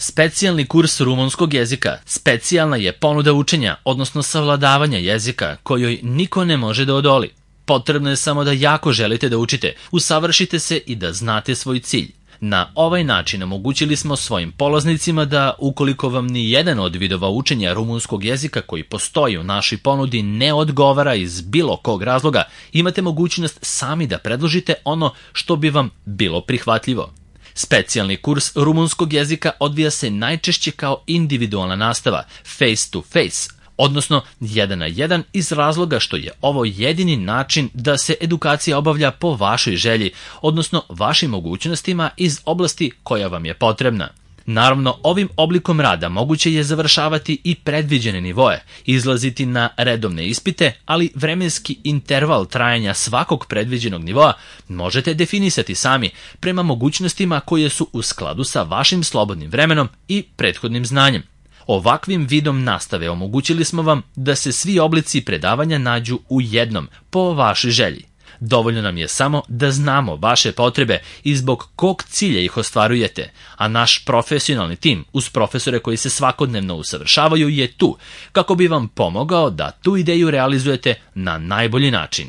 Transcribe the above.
Specijalni kurs rumunskog jezika specijalna je ponuda učenja, odnosno savladavanja jezika kojoj niko ne može da odoli. Potrebno je samo da jako želite da učite, usavršite se i da znate svoj cilj. Na ovaj način omogućili smo svojim polaznicima da, ukoliko vam ni jedan od vidova učenja rumunskog jezika koji postoji u našoj ponudi ne odgovara iz bilo kog razloga, imate mogućnost sami da predložite ono što bi vam bilo prihvatljivo. Specijalni kurs rumunskog jezika odvija se najčešće kao individualna nastava, face to face, odnosno 1 na 1 iz razloga što je ovo jedini način da se edukacija obavlja po vašoj želji, odnosno vašim mogućnostima iz oblasti koja vam je potrebna. Naravno, ovim oblikom rada moguće je završavati i predviđene nivoe, izlaziti na redovne ispite, ali vremenski interval trajanja svakog predviđenog nivoa možete definisati sami prema mogućnostima koje su u skladu sa vašim slobodnim vremenom i prethodnim znanjem. Ovakvim vidom nastave omogućili smo vam da se svi oblici predavanja nađu u jednom, po vašoj želji. Dovoljno nam je samo da znamo vaše potrebe i zbog kog cilja ih ostvarujete, a naš profesionalni tim uz profesore koji se svakodnevno usavršavaju je tu kako bi vam pomogao da tu ideju realizujete na najbolji način.